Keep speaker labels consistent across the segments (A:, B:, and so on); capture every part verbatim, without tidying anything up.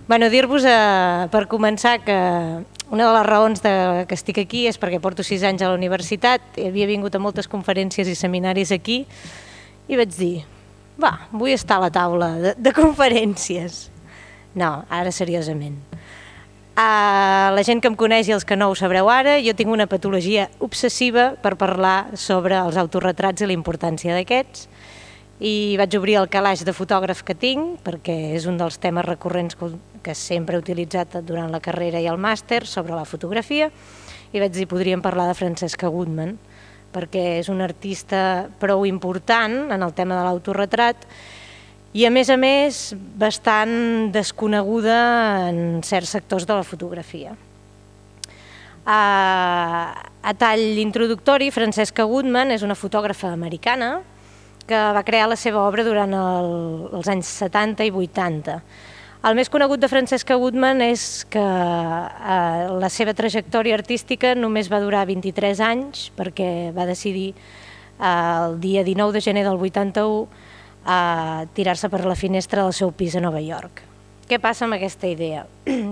A: Bueno, dir-vos, eh, per començar, que una de les raons de que estic aquí és perquè porto sis anys a la universitat, havia vingut a moltes conferències i seminaris aquí i vaig dir, va, vull estar a la taula de, de conferències. No, ara seriosament. Uh, la gent que em coneix i els que no ho sabreu ara, jo tinc una patologia obsessiva per parlar sobre els autorretrats i la importància d'aquests, i vaig obrir el calaix de fotògraf que tinc, perquè és un dels temes recurrents que, que sempre he utilitzat durant la carrera i el màster sobre la fotografia, i vaig dir, podríem parlar de Francesca Goodman, perquè és una artista prou important en el tema de l'autorretrat, i a més a més bastant desconeguda en certs sectors de la fotografia. A, a tall introductori, Francesca Goodman és una fotògrafa americana que va crear la seva obra durant el, els anys setanta i vuitanta. El més conegut de Francesca Goodman és que eh, la seva trajectòria artística només va durar vint-i-tres anys, perquè va decidir eh, el dia dinou de gener del vuitanta-u a tirar-se per la finestra del seu pis a Nova York. Què passa amb aquesta idea?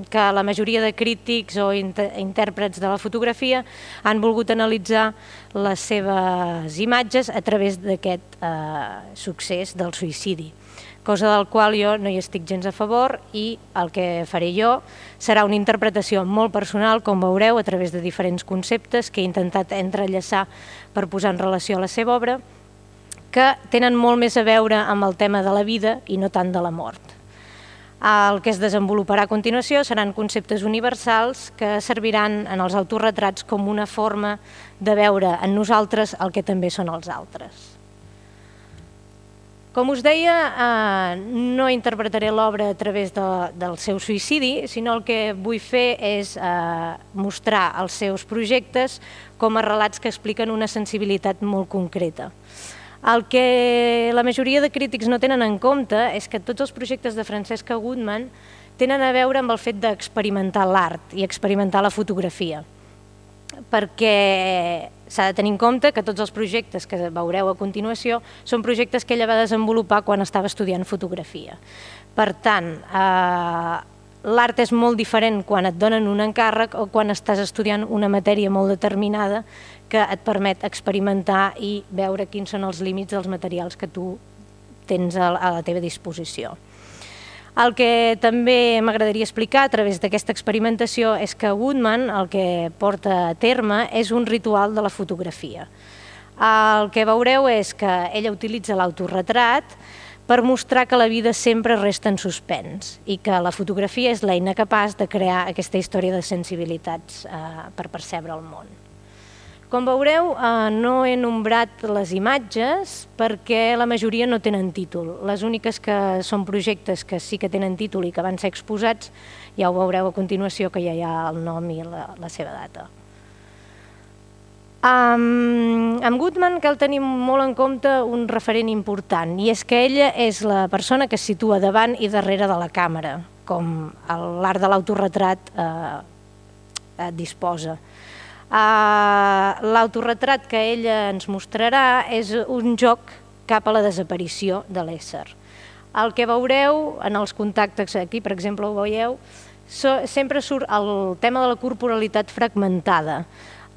A: Que la majoria de crítics o intèrprets de la fotografia han volgut analitzar les seves imatges a través d'aquest eh, succés del suïcidi, cosa del qual jo no hi estic gens a favor, i el que faré jo serà una interpretació molt personal, com veureu, a través de diferents conceptes que he intentat entrellaçar per posar en relació a la seva obra, que tenen molt més a veure amb el tema de la vida i no tant de la mort. El que es desenvoluparà a continuació seran conceptes universals que serviran en els autorretrats com una forma de veure en nosaltres el que també són els altres. Com us deia, eh, no interpretaré l'obra a través de, del seu suïcidi, sinó el que vull fer és eh, mostrar els seus projectes com a relats que expliquen una sensibilitat molt concreta. El que la majoria de crítics no tenen en compte és que tots els projectes de Francesca Goodman tenen a veure amb el fet d'experimentar l'art i experimentar la fotografia, perquè s'ha de tenir en compte que tots els projectes que veureu a continuació són projectes que ella va desenvolupar quan estava estudiant fotografia. Per tant, eh, l'art és molt diferent quan et donen un encàrrec o quan estàs estudiant una matèria molt determinada que et permet experimentar i veure quins són els límits dels materials que tu tens a la teva disposició. El que també m'agradaria explicar a través d'aquesta experimentació és que Goodman el que porta a terme és un ritual de la fotografia. El que veureu és que ella utilitza l'autorretrat per mostrar que la vida sempre resta en suspens i que la fotografia és l'eina capaç de crear aquesta història de sensibilitats per percebre el món. Com veureu, no he nombrat les imatges perquè la majoria no tenen títol. Les úniques que són projectes que sí que tenen títol i que van ser exposats, ja ho veureu a continuació, que ja hi ha el nom i la, la seva data. Um, amb Goodman cal tenir molt en compte un referent important, i és que ella és la persona que es situa davant i darrere de la càmera, com l'art de l'autorretrat eh, disposa. Uh, l'autorretrat que ella ens mostrarà és un joc cap a la desaparició de l'ésser. El que veureu en els contactes, aquí per exemple ho veieu, so, sempre surt el tema de la corporalitat fragmentada,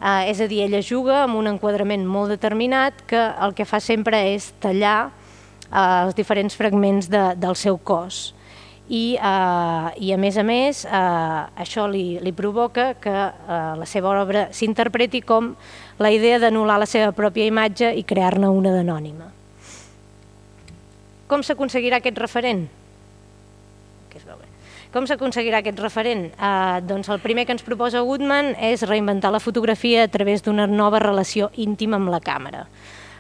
A: uh, és a dir, ella juga amb un enquadrament molt determinat que el que fa sempre és tallar uh, els diferents fragments de, del seu cos. I, eh, i a més a més eh, això li, li provoca que eh, la seva obra s'interpreti com la idea d'anul·lar la seva pròpia imatge i crear-ne una d'anònima. Com s'aconseguirà aquest referent? Com s'aconseguirà aquest referent? Eh, doncs el primer que ens proposa Goodman és reinventar la fotografia a través d'una nova relació íntima amb la càmera.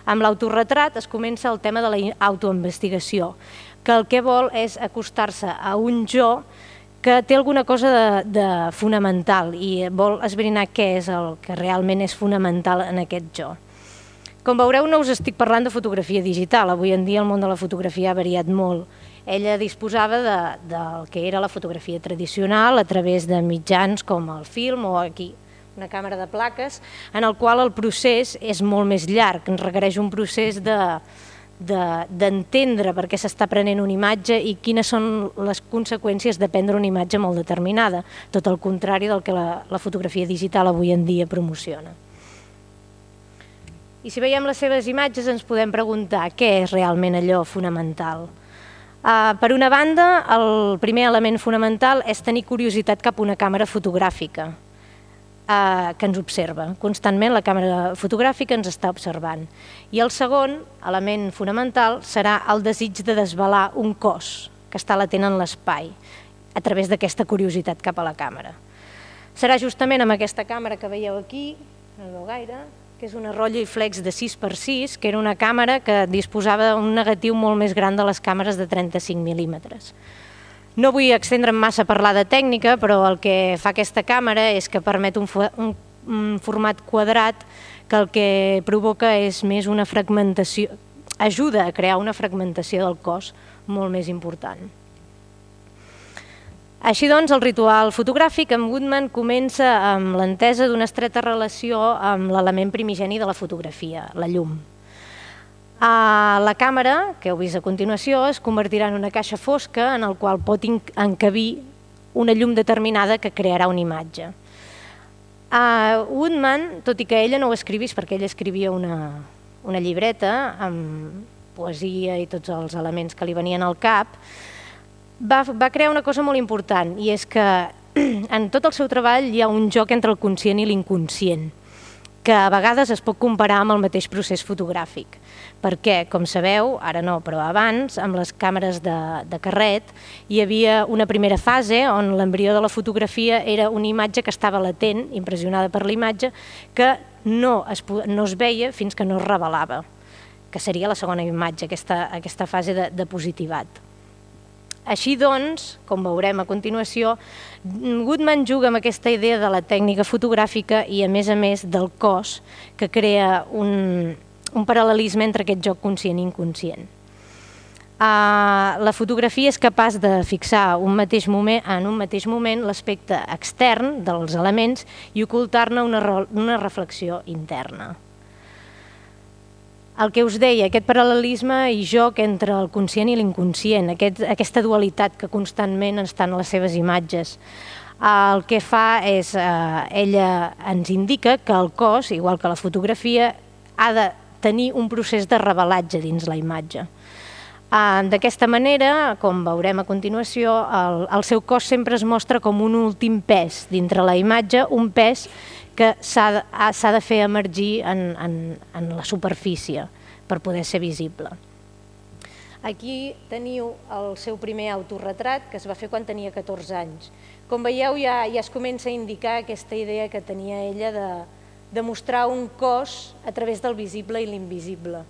A: Amb l'autorretrat es comença el tema de l'autoinvestigació, que el que vol és acostar-se a un jo que té alguna cosa de, de fonamental i vol esbrinar què és el que realment és fonamental en aquest jo. Com veureu, no us estic parlant de fotografia digital, avui en dia el món de la fotografia ha variat molt. Ella disposava de, del que era la fotografia tradicional a través de mitjans com el film o aquí una càmera de plaques, en el qual el procés és molt més llarg, requereix un procés de d'entendre per què s'està prenent una imatge i quines són les conseqüències de prendre una imatge molt determinada, tot el contrari del que la, la fotografia digital avui en dia promociona. I si veiem les seves imatges ens podem preguntar què és realment allò fonamental. Uh, per una banda, el primer element fonamental és tenir curiositat cap a una càmera fotogràfica uh, que ens observa. Constantment la càmera fotogràfica ens està observant. I el segon element fonamental serà el desig de desvelar un cos que està latent en l'espai a través d'aquesta curiositat cap a la càmera. Serà justament amb aquesta càmera que veieu aquí, no veu gaire, que és una Rolleiflex de sis per sis, que era una càmera que disposava d'un negatiu molt més gran de les càmeres de trenta-cinc mil·límetres. No vull extendre'm massa a parlar de tècnica, però el que fa aquesta càmera és que permet un, un, un format quadrat que el que provoca és més una fragmentació, ajuda a crear una fragmentació del cos molt més important. Així doncs, el ritual fotogràfic amb Woodman comença amb l'entesa d'una estreta relació amb l'element primigeni de la fotografia, la llum. La càmera, que heu vist a continuació, es convertirà en una caixa fosca en el qual pot encabir una llum determinada que crearà una imatge. Woodman, tot i que ella no ho escrivís perquè ella escrivia una, una llibreta amb poesia i tots els elements que li venien al cap, Va, va crear una cosa molt important, i és que en tot el seu treball hi ha un joc entre el conscient i l'inconscient, que a vegades es pot comparar amb el mateix procés fotogràfic. Perquè, com sabeu, ara no, però abans, amb les càmeres de, de carret, hi havia una primera fase on l'embrió de la fotografia era una imatge que estava latent, impressionada per la imatge, que no es, no es veia fins que no es revelava, que seria la segona imatge, aquesta, aquesta fase de, de positivat. Així doncs, com veurem a continuació, Woodman juga amb aquesta idea de la tècnica fotogràfica i, a més a més, del cos, que crea un, un paral·lelisme entre aquest joc conscient i inconscient. Uh, la fotografia és capaç de fixar un mateix moment, en un mateix moment l'aspecte extern dels elements i ocultar-ne una, una reflexió interna. El que us deia, aquest paral·lelisme i joc entre el conscient i l'inconscient, aquest, aquesta dualitat que constantment està en les seves imatges. El que fa és, eh, ella ens indica que el cos, igual que la fotografia, ha de tenir un procés de revelatge dins la imatge. Eh, D'aquesta manera, com veurem a continuació, el, el seu cos sempre es mostra com un últim pes dintre la imatge, un pes que s'ha de, de fer emergir en, en, en la superfície per poder ser visible. Aquí teniu el seu primer autorretrat, que es va fer quan tenia catorze anys. Com veieu, ja, ja es comença a indicar aquesta idea que tenia ella de, de mostrar un cos a través del visible i l'invisible.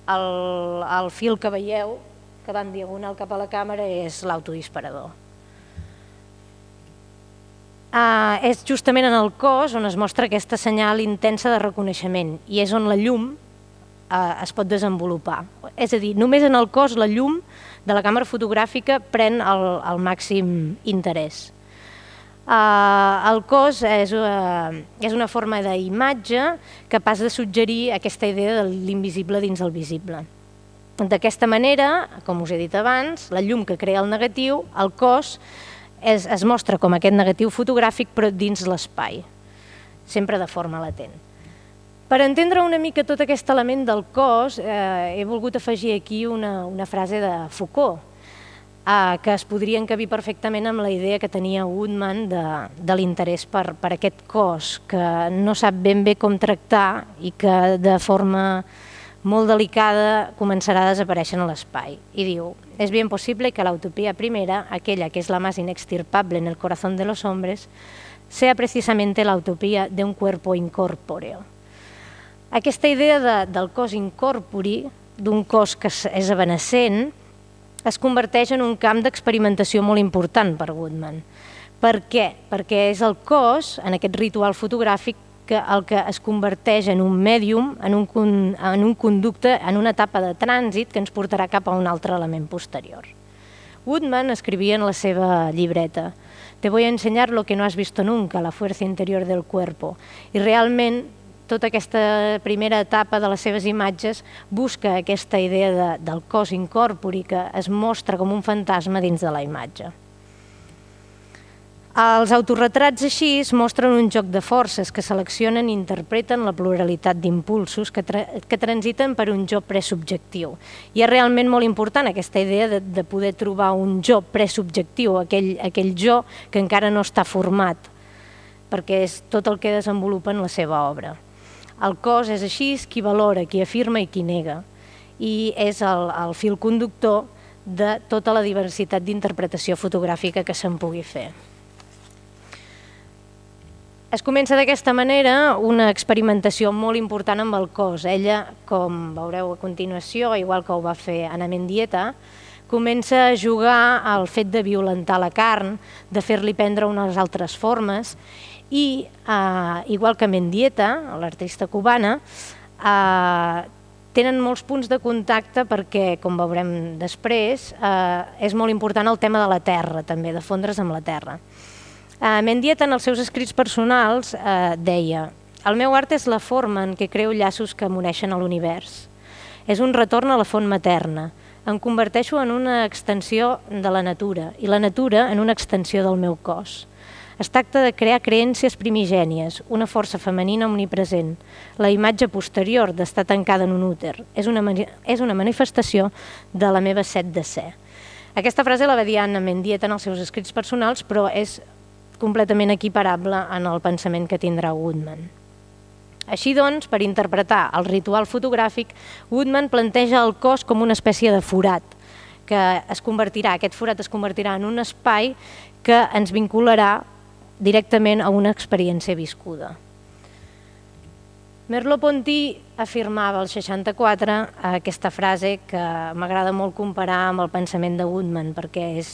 A: El, el fil que veieu, que va en diagonal cap a la càmera, és l'autodisparador. Uh, és justament en el cos on es mostra aquesta senyal intensa de reconeixement i és on la llum uh, es pot desenvolupar. És a dir, només en el cos la llum de la càmera fotogràfica pren el, el màxim interès. Uh, el cos és, uh, és una forma d'imatge capaç de suggerir aquesta idea de l'invisible dins el visible. D'aquesta manera, com us he dit abans, la llum que crea el negatiu, el cos, Es, es mostra com aquest negatiu fotogràfic però dins l'espai, sempre de forma latent. Per entendre una mica tot aquest element del cos, eh, he volgut afegir aquí una, una frase de Foucault, eh, que es podria encabir perfectament amb la idea que tenia Woodman de, de l'interès per, per aquest cos, que no sap ben bé com tractar i que de forma molt delicada començarà a desaparèixer en l'espai. I diu, es bien posible que la utopía primera, aquella que es la más inextirpable en el corazón de los hombres, sea precisamente la utopía de un cuerpo incorpóreo. Aquesta idea de, del cos incorpori, d'un cos que és evanescent, es converteix en un camp d'experimentació molt important per Woodman. Per què? Perquè és el cos, en aquest ritual fotogràfic, que el que es converteix en un mèdium, en un, en un conducte, en una etapa de trànsit que ens portarà cap a un altre element posterior. Woodman escrivia en la seva llibreta: «Te voy a enseñar lo que no has visto nunca, la fuerza interior del cuerpo». I realment tota aquesta primera etapa de les seves imatges busca aquesta idea de, del cos incorpori que es mostra com un fantasma dins de la imatge. Els autorretrats així mostren un joc de forces que seleccionen i interpreten la pluralitat d'impulsos que, tra que transiten per un jo presubjectiu. I és realment molt important aquesta idea de, de poder trobar un jo presubjectiu, aquell, aquell jo que encara no està format, perquè és tot el que desenvolupa en la seva obra. El cos és així qui valora, qui afirma i qui nega, i és el, el fil conductor de tota la diversitat d'interpretació fotogràfica que se'n pugui fer. Es comença d'aquesta manera una experimentació molt important amb el cos. Ella, com veureu a continuació, igual que ho va fer Ana Mendieta, comença a jugar al fet de violentar la carn, de fer-li prendre unes altres formes i, eh, igual que Mendieta, l'artista cubana, eh, tenen molts punts de contacte perquè, com veurem després, eh, és molt important el tema de la terra, també, de fondre's amb la terra. Mendieta, en els seus escrits personals, eh, deia: «El meu art és la forma en què creo llaços que m'uneixen a l'univers. És un retorn a la font materna. Em converteixo en una extensió de la natura i la natura en una extensió del meu cos. Es tracta de crear creències primigènies, una força femenina omnipresent, la imatge posterior d'estar tancada en un úter. És una, és una manifestació de la meva set de ser». Aquesta frase la va dir Ana Mendieta en els seus escrits personals, però és completament equiparable en el pensament que tindrà Woodman. Així doncs, per interpretar el ritual fotogràfic, Woodman planteja el cos com una espècie de forat, que es convertirà, aquest forat es convertirà en un espai que ens vincularà directament a una experiència viscuda. Merleau-Ponty afirmava al seixanta-quatre aquesta frase que m'agrada molt comparar amb el pensament de Woodman, perquè és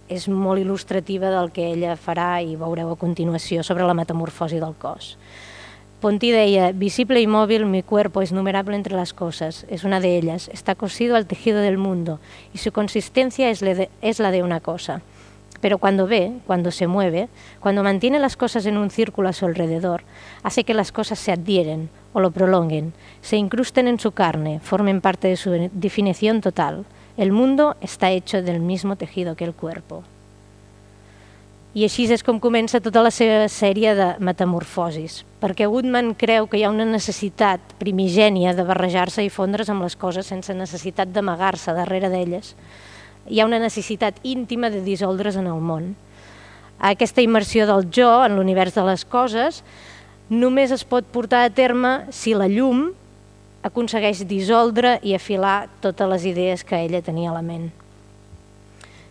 A: és molt il·lustrativa del que ella farà i veureu a continuació sobre la metamorfosi del cos. Ponty deia: «Visible y móvil, mi cuerpo es numerable entre las cosas. Es una de ellas. Está cosido al tejido del mundo y su consistencia es la de una cosa. Pero cuando ve, cuando se mueve, cuando mantiene las cosas en un círculo a su alrededor, hace que las cosas se adhieren o lo prolonguen, se incrusten en su carne, formen parte de su definición total. El mundo está hecho del mismo tejido que el cuerpo». I així és com comença tota la seva sèrie de metamorfosis, perquè Woodman creu que hi ha una necessitat primigènia de barrejar-se i fondre's amb les coses sense necessitat d'amagar-se darrere d'elles. Hi ha una necessitat íntima de dissoldre's en el món. Aquesta immersió del jo en l'univers de les coses només es pot portar a terme si la llum aconsegueix dissoldre i afilar totes les idees que ella tenia a la ment.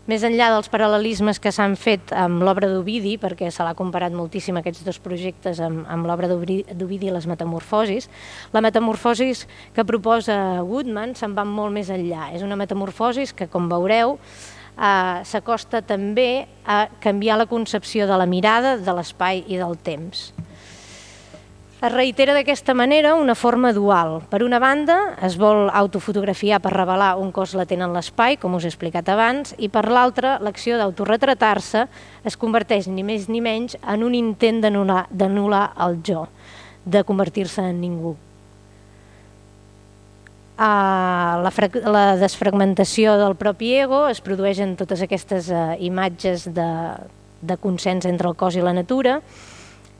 A: Més enllà dels paral·lelismes que s'han fet amb l'obra d'Ovidi, perquè se l'ha comparat moltíssim aquests dos projectes amb, amb l'obra d'Ovidi i les metamorfosis, la metamorfosis que proposa Woodman se'n va molt més enllà. És una metamorfosis que, com veureu, eh, s'acosta també a canviar la concepció de la mirada, de l'espai i del temps. Es reitera d'aquesta manera una forma dual. Per una banda, es vol autofotografiar per revelar un cos latent en l'espai, com us he explicat abans, i per l'altra, l'acció d'autoretratar-se es converteix ni més ni menys en un intent d'anul·lar el jo, de convertir-se en ningú. La desfragmentació del propi ego es produeix en totes aquestes imatges de consens entre el cos i la natura,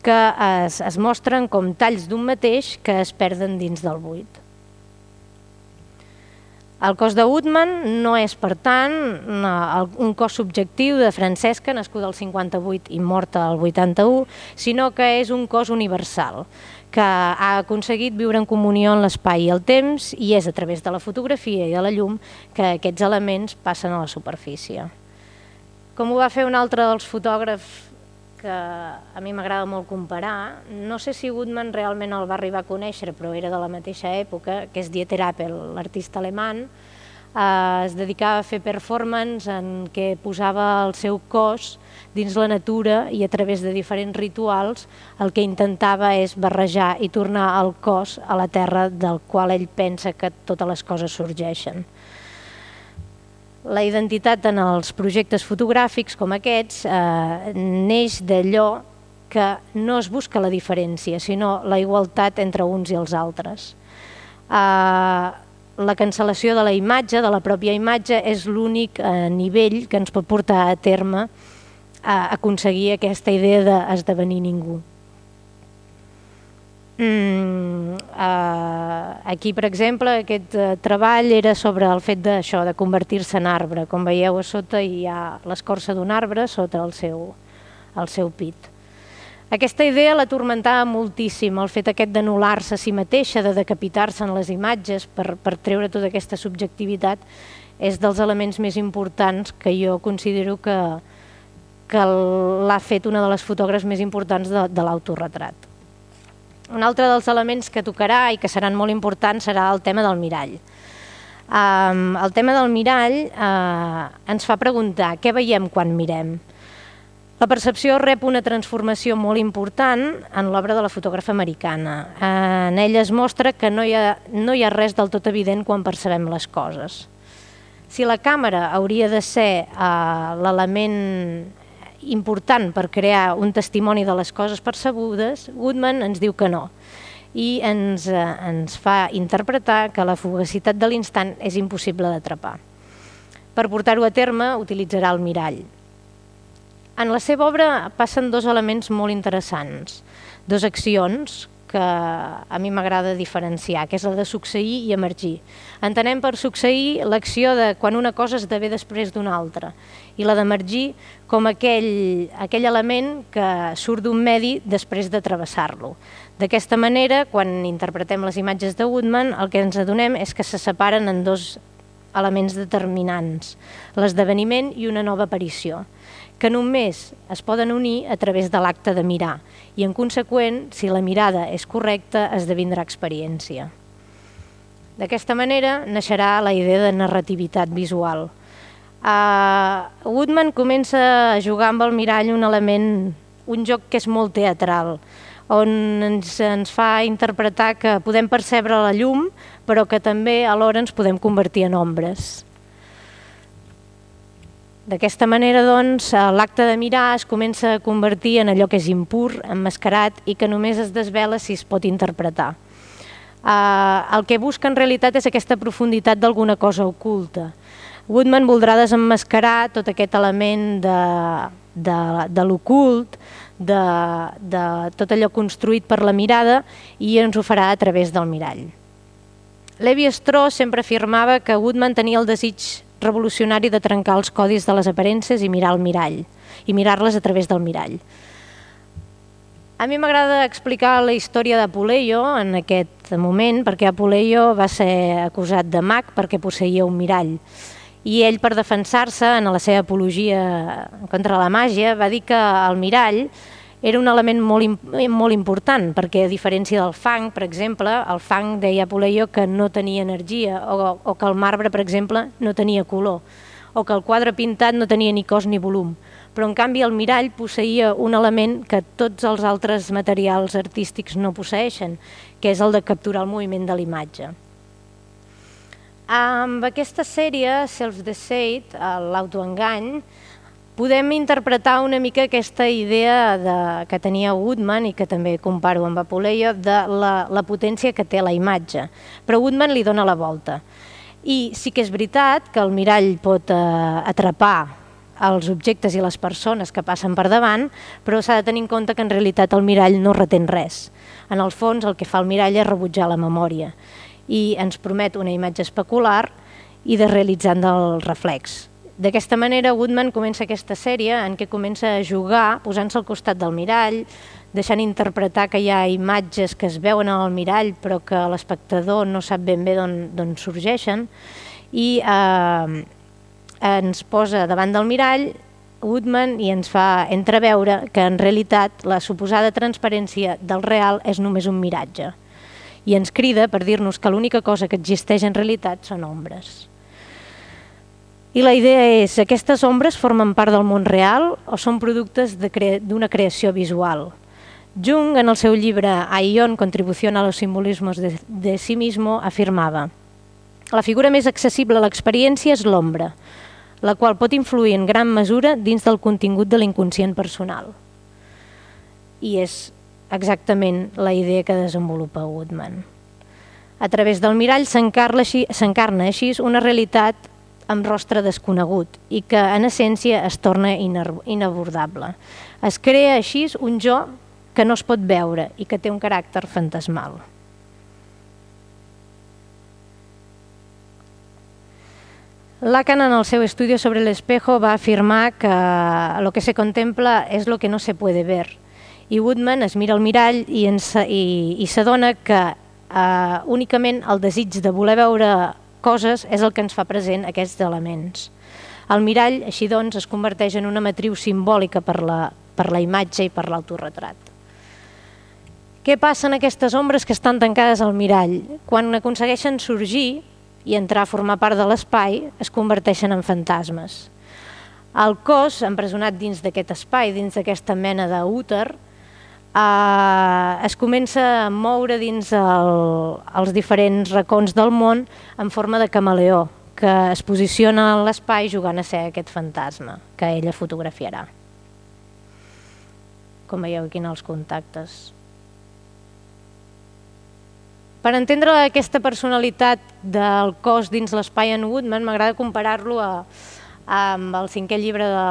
A: que es, es mostren com talls d'un mateix que es perden dins del buit. El cos de Woodman no és, per tant, un cos subjectiu de Francesca, nascuda al cinquanta-vuit i morta al vuitanta-u, sinó que és un cos universal, que ha aconseguit viure en comunió en l'espai i el temps, i és a través de la fotografia i de la llum que aquests elements passen a la superfície. Com ho va fer un altre dels fotògrafs que a mi m'agrada molt comparar, no sé si Woodman realment el va arribar a conèixer, però era de la mateixa època, que és Dieter Appel, l'artista alemany. Es dedicava a fer performance en què posava el seu cos dins la natura i a través de diferents rituals el que intentava és barrejar i tornar el cos a la terra del qual ell pensa que totes les coses sorgeixen. La identitat en els projectes fotogràfics com aquests neix d'allò que no es busca la diferència, sinó la igualtat entre uns i els altres. La cancel·lació de la imatge, de la pròpia imatge, és l'únic nivell que ens pot portar a terme a aconseguir aquesta idea d'esdevenir ningú. Aquí, per exemple, aquest treball era sobre el fet d'això, de convertir-se en arbre. Com veieu, a sota hi ha l'escorça d'un arbre sota el seu, el seu pit. Aquesta idea l'atormentava moltíssim, el fet aquest d'anul·lar-se a si mateixa, de decapitar-se en les imatges per, per treure tota aquesta subjectivitat, és dels elements més importants que jo considero que, que l'ha fet una de les fotògrafes més importants de, de l'autoretrat. Un altre dels elements que tocarà i que seran molt importants serà el tema del mirall. Um, el tema del mirall uh, ens fa preguntar què veiem quan mirem. La percepció rep una transformació molt important en l'obra de la fotògrafa americana. Uh, en ella es mostra que no hi ha, no hi ha res del tot evident quan percebem les coses. Si la càmera hauria de ser uh, l'element important per crear un testimoni de les coses percebudes, Goodman ens diu que no i ens, eh, ens fa interpretar que la fugacitat de l'instant és impossible d'atrapar. Per portar-ho a terme utilitzarà el mirall. En la seva obra passen dos elements molt interessants, dues accions que a mi m'agrada diferenciar, que és la de succeir i emergir. Entenem per succeir l'acció de quan una cosa esdevé després d'una altra i la d'emergir com aquell, aquell element que surt d'un medi després de travessar-lo. D'aquesta manera, quan interpretem les imatges de Woodman, el que ens adonem és que se separen en dos elements determinants, l'esdeveniment i una nova aparició, que només es poden unir a través de l'acte de mirar i, en conseqüent, si la mirada és correcta, esdevindrà experiència. D'aquesta manera naixerà la idea de narrativitat visual. Uh, Woodman comença a jugar amb el mirall un element, un joc que és molt teatral, on ens, ens fa interpretar que podem percebre la llum, però que també alhora ens podem convertir en ombres. D'aquesta manera, doncs, l'acte de mirar es comença a convertir en allò que és impur, emmascarat i que només es desvela si es pot interpretar. Uh, el que busca en realitat és aquesta profunditat d'alguna cosa oculta. Woodman voldrà desemmascarar tot aquest element de, de, de l'ocult, de, de tot allò construït per la mirada, i ens ho farà a través del mirall. Lévi-Strauss sempre afirmava que Woodman tenia el desig revolucionari de trencar els codis de les aparences i mirar el mirall, i mirar-les a través del mirall. A mi m'agrada explicar la història d'Apuleio en aquest moment, perquè Apuleio va ser acusat de mag perquè posseïa un mirall. I ell, per defensar-se en la seva apologia contra la màgia, va dir que el mirall era un element molt, molt important, perquè a diferència del fang, per exemple, el fang, deia Apuleio, que no tenia energia, o, o que el marbre, per exemple, no tenia color, o que el quadre pintat no tenia ni cos ni volum. Però, en canvi, el mirall posseïa un element que tots els altres materials artístics no posseeixen, que és el de capturar el moviment de l'imatge. Amb aquesta sèrie, Self-Deceit, l'autoengany, podem interpretar una mica aquesta idea de, que tenia Woodman, i que també comparo amb Apuleio, de la, la potència que té la imatge. Però Woodman li dona la volta. I sí que és veritat que el mirall pot eh, atrapar els objectes i les persones que passen per davant, però s'ha de tenir en compte que en realitat el mirall no retén res. En el fons, el que fa el mirall és rebutjar la memòria i ens promet una imatge especular i de realitzant del reflex. D'aquesta manera, Woodman comença aquesta sèrie en què comença a jugar posant-se al costat del mirall, deixant interpretar que hi ha imatges que es veuen en el mirall però que l'espectador no sap ben bé d'on sorgeixen, i eh, ens posa davant del mirall Woodman i ens fa entreveure que en realitat la suposada transparència del real és només un miratge, i ens crida per dir-nos que l'única cosa que existeix en realitat són ombres. I la idea és, aquestes ombres formen part del món real o són productes d'una creació visual? Jung, en el seu llibre Aion, Contribución a los simbolismos de, de sí mismo, afirmava: la figura més accessible a l'experiència és l'ombra, la qual pot influir en gran mesura dins del contingut de l'inconscient personal. i és exactament la idea que desenvolupa Woodman. A través del mirall s'encarna així una realitat amb rostre desconegut i que en essència es torna inabordable. Es crea així un jo que no es pot veure i que té un caràcter fantasmal. Lacan, en el seu estudi sobre el espejo, va afirmar que lo que se contempla és lo que no se puede ver. I Woodman es mira al mirall i, i, i s'adona que eh, únicament el desig de voler veure coses és el que ens fa present aquests elements. El mirall, així doncs, es converteix en una matriu simbòlica per la, per la imatge i per l'autorretrat. Què passa en aquestes ombres que estan tancades al mirall? Quan aconsegueixen sorgir i entrar a formar part de l'espai, es converteixen en fantasmes. El cos, empresonat dins d'aquest espai, dins d'aquesta mena d'úter, eh, es comença a moure dins el, els diferents racons del món en forma de camaleó, que es posiciona en l'espai jugant a ser aquest fantasma que ella fotografiarà. Com veieu aquí en els contactes. Per entendre aquesta personalitat del cos dins l'espai en Woodman, m'agrada comparar-lo amb el cinquè llibre de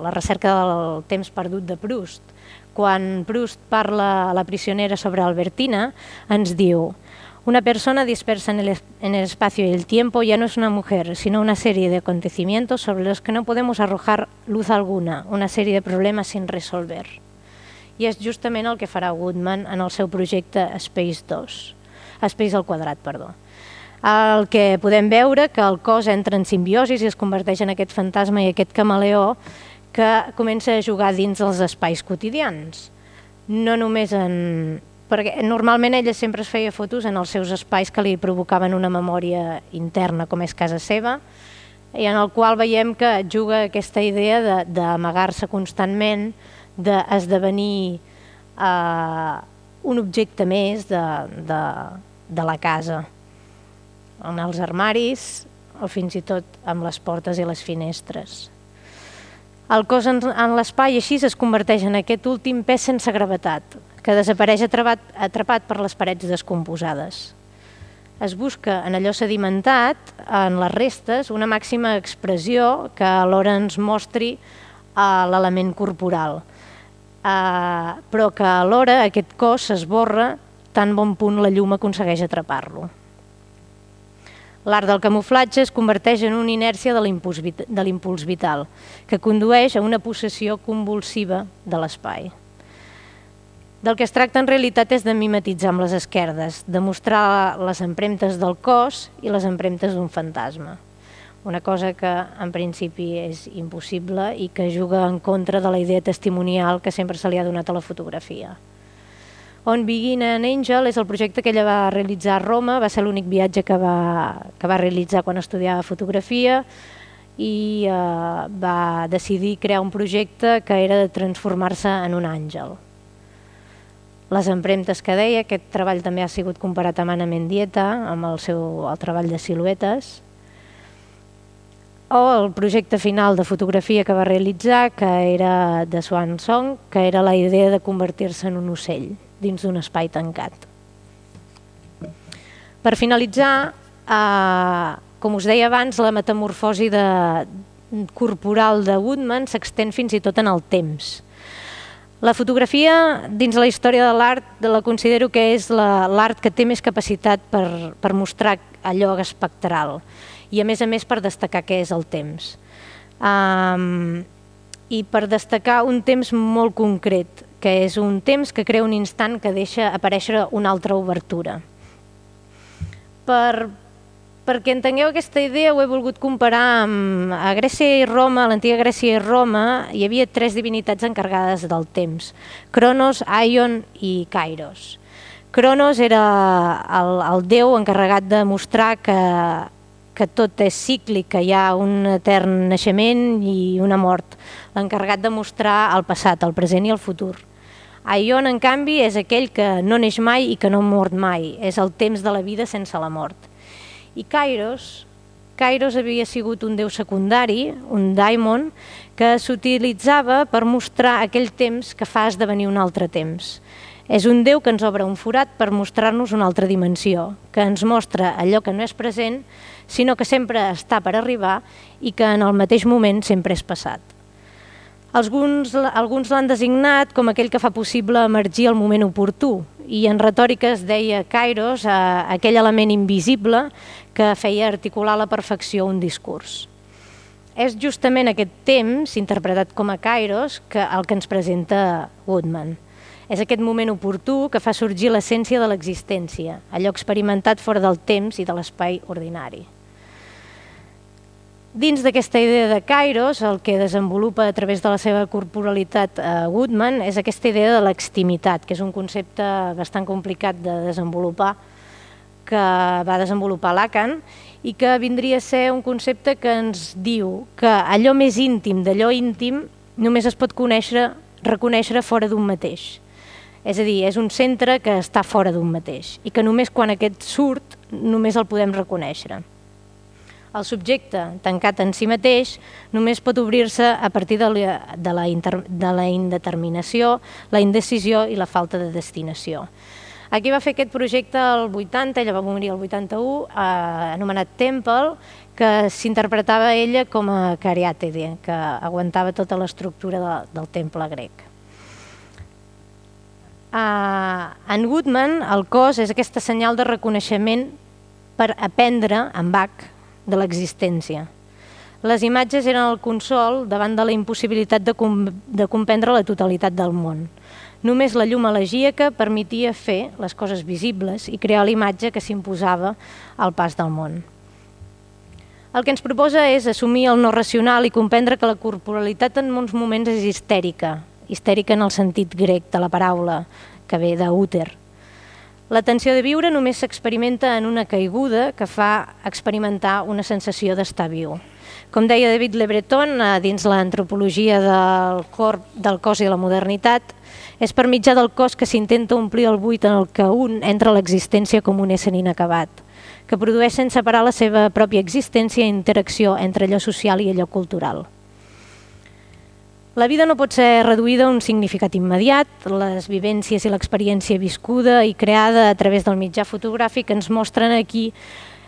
A: la recerca del temps perdut de Proust. Quan Proust parla a la prisionera sobre Albertina, ens diu: una persona dispersa en el, en el espacio y el tiempo ya no es una mujer, sino una serie de acontecimientos sobre los que no podemos arrojar luz alguna, una serie de problemas sin resolver. I és justament el que farà Woodman en el seu projecte Space dos. Space al quadrat, perdó. El que podem veure que el cos entra en simbiosi i es converteix en aquest fantasma i aquest camaleó que comença a jugar dins dels espais quotidians. No només en... perquè normalment ella sempre es feia fotos en els seus espais que li provocaven una memòria interna, com és casa seva, i en el qual veiem que juga aquesta idea d'amagar-se constantment, d'esdevenir eh, un objecte més de, de, de la casa, en els armaris o fins i tot amb les portes i les finestres. El cos en, en l'espai així es converteix en aquest últim pes sense gravetat, que desapareix atrapat, atrapat per les parets descomposades. Es busca en allò sedimentat, en les restes, una màxima expressió que alhora ens mostri uh, l'element corporal, uh, però que alhora aquest cos s'esborra tan bon punt la llum aconsegueix atrapar-lo. L'art del camuflatge es converteix en una inèrcia de l'impuls vital, que condueix a una possessió convulsiva de l'espai. Del que es tracta en realitat és de mimetitzar amb les esquerdes, de mostrar les empremtes del cos i les empremtes d'un fantasma. Una cosa que en principi és impossible i que juga en contra de la idea testimonial que sempre se li ha donat a la fotografia. On Begin an Angel és el projecte que ella va realitzar a Roma, va ser l'únic viatge que va, que va realitzar quan estudiava fotografia i eh, va decidir crear un projecte que era de transformar-se en un àngel. Les empremtes que deia, aquest treball també ha sigut comparat amb Ana Mendieta, amb el seu el treball de siluetes, o el projecte final de fotografia que va realitzar, que era de Swan Song, que era la idea de convertir-se en un ocell dins d'un espai tancat. Per finalitzar, eh, com us deia abans, la metamorfosi de, corporal de Woodman s'extén fins i tot en el temps. La fotografia, dins la història de l'art, la considero que és l'art que té més capacitat per, per mostrar allò espectral i a més a més per destacar què és el temps. Um, I per destacar un temps molt concret, que és un temps que crea un instant que deixa aparèixer una altra obertura. Per, perquè entengueu aquesta idea ho he volgut comparar amb a Grècia i Roma, a l'antiga Grècia i Roma, hi havia tres divinitats encarregades del temps, Cronos, Aion i Kairos. Cronos era el, el déu encarregat de mostrar que, que tot és cíclic, que hi ha un etern naixement i una mort, l'encarregat de mostrar el passat, el present i el futur. Aion, en canvi, és aquell que no neix mai i que no mort mai, és el temps de la vida sense la mort. I Kairos Kairos havia sigut un déu secundari, un daimon, que s'utilitzava per mostrar aquell temps que fa esdevenir un altre temps. És un déu que ens obre un forat per mostrar-nos una altra dimensió, que ens mostra allò que no és present, sinó que sempre està per arribar i que en el mateix moment sempre és passat. Alguns, alguns l'han designat com aquell que fa possible emergir el moment oportú, i en retòrica es deia Kairos, eh, aquell element invisible que feia articular a la perfecció un discurs. És justament aquest temps, interpretat com a Kairos, que el que ens presenta Woodman. És aquest moment oportú que fa sorgir l'essència de l'existència, allò experimentat fora del temps i de l'espai ordinari. Dins d'aquesta idea de Kairos, el que desenvolupa a través de la seva corporalitat a Woodman és aquesta idea de l'extimitat, que és un concepte bastant complicat de desenvolupar, que va desenvolupar Lacan, i que vindria a ser un concepte que ens diu que allò més íntim d'allò íntim només es pot conèixer, reconèixer fora d'un mateix. És a dir, és un centre que està fora d'un mateix i que només quan aquest surt només el podem reconèixer. El subjecte, tancat en si mateix, només pot obrir-se a partir de la, de, la inter, de la indeterminació, la indecisió i la falta de destinació. Aquí va fer aquest projecte el vuitanta, ella va morir el vuitanta-u, eh, anomenat Temple, que s'interpretava ella com a cariàtide, que aguantava tota l'estructura de, del temple grec. Uh, en Woodman, el cos és aquesta senyal de reconeixement per aprendre, en Bach, de l'existència. Les imatges eren el consol davant de la impossibilitat de, com de comprendre la totalitat del món. Només la llum elegíaca permetia fer les coses visibles i crear l'imatge que s'imposava al pas del món. El que ens proposa és assumir el no racional i comprendre que la corporalitat en molts moments és histèrica, histèrica en el sentit grec de la paraula, que ve d'úter. La tensió de viure només s'experimenta en una caiguda que fa experimentar una sensació d'estar viu. Com deia David Le Breton, dins l'antropologia del, cor, del cos i la modernitat, és per mitjà del cos que s'intenta omplir el buit en el que un entra a l'existència com un ésser inacabat, que produeix sense parar la seva pròpia existència i interacció entre allò social i allò cultural. La vida no pot ser reduïda a un significat immediat. Les vivències i l'experiència viscuda i creada a través del mitjà fotogràfic ens mostren aquí,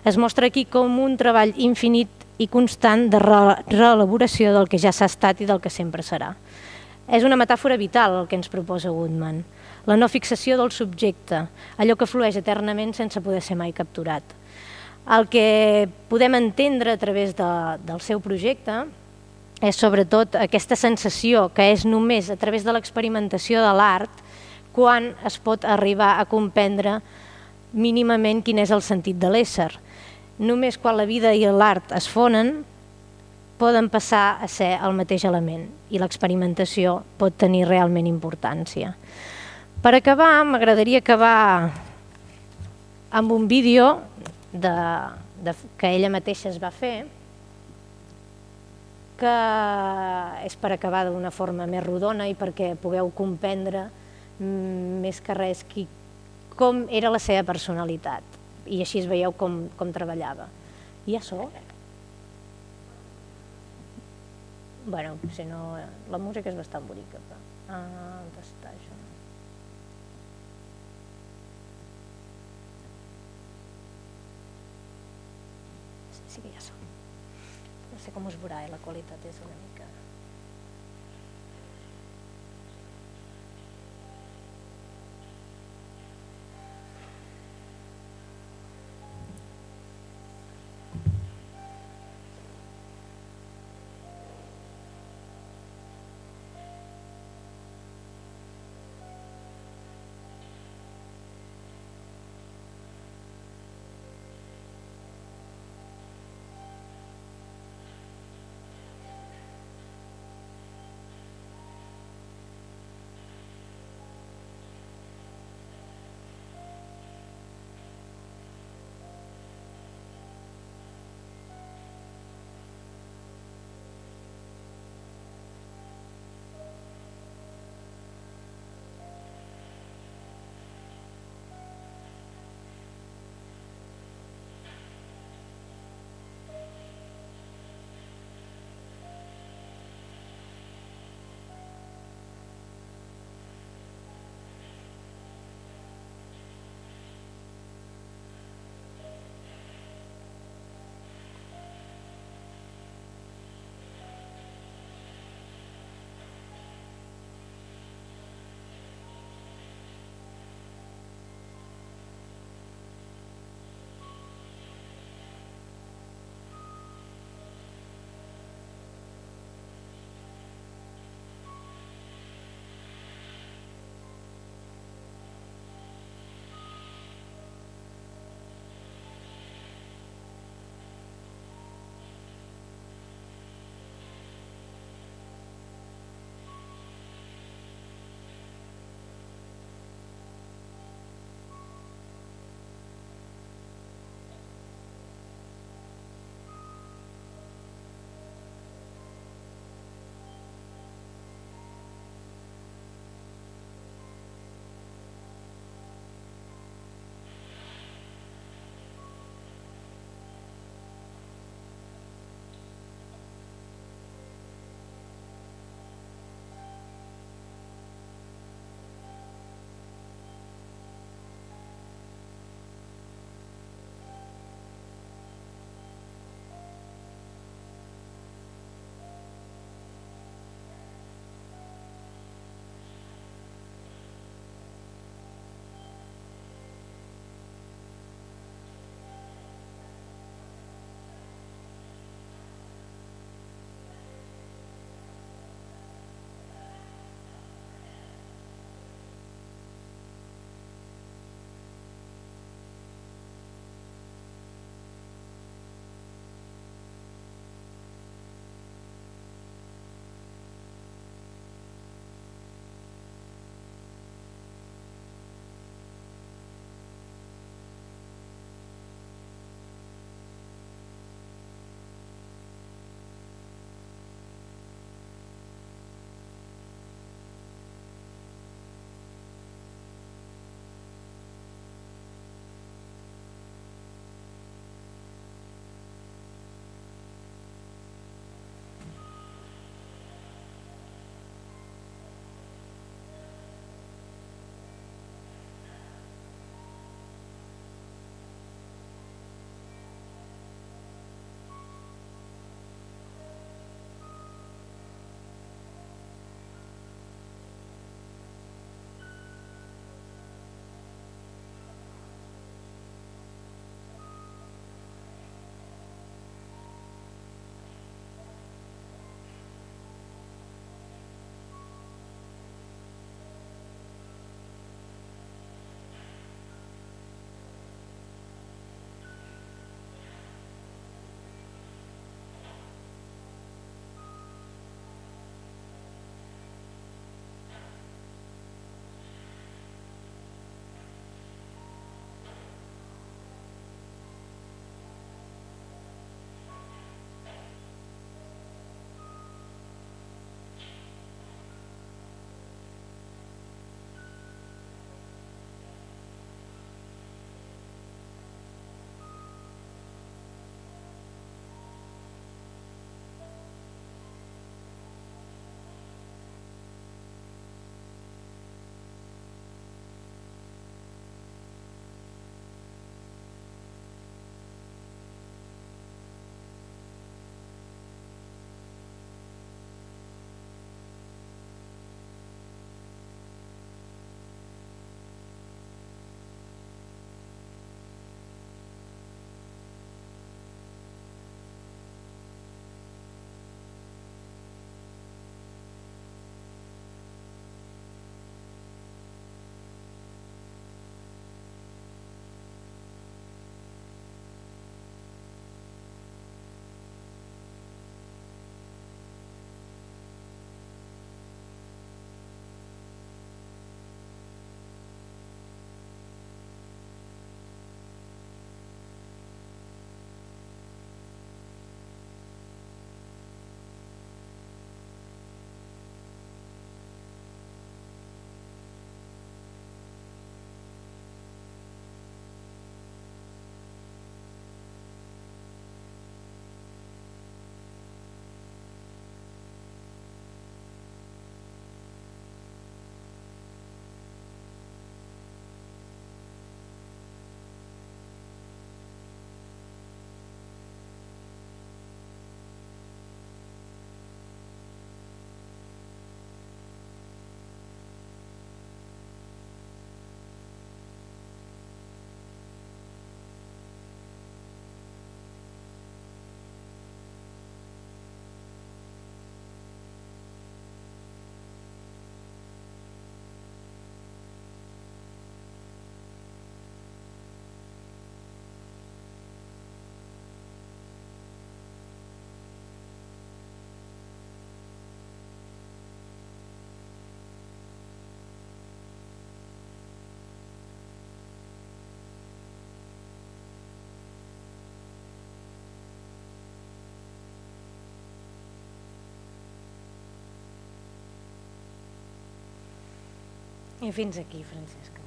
A: es mostra aquí com un treball infinit i constant de reelaboració del que ja s'ha estat i del que sempre serà. És una metàfora vital el que ens proposa Woodman, la no fixació del subjecte, allò que flueix eternament sense poder ser mai capturat. El que podem entendre a través de, del seu projecte és sobretot aquesta sensació que és només a través de l'experimentació de l'art quan es pot arribar a comprendre mínimament quin és el sentit de l'ésser. Només quan la vida i l'art es fonen poden passar a ser el mateix element i l'experimentació pot tenir realment importància. Per acabar, m'agradaria acabar amb un vídeo de, de, que ella mateixa es va fer, que és per acabar d'una forma més rodona i perquè pugueu comprendre més que res qui, com era la seva personalitat i així es veieu com, com treballava. I ja so? Bueno, si no, la música és bastant bonica. Però... Ah, on està això? Sí que ja so. No sé com us veurà, eh? La qualitat és una mica... I fins aquí, Francesca.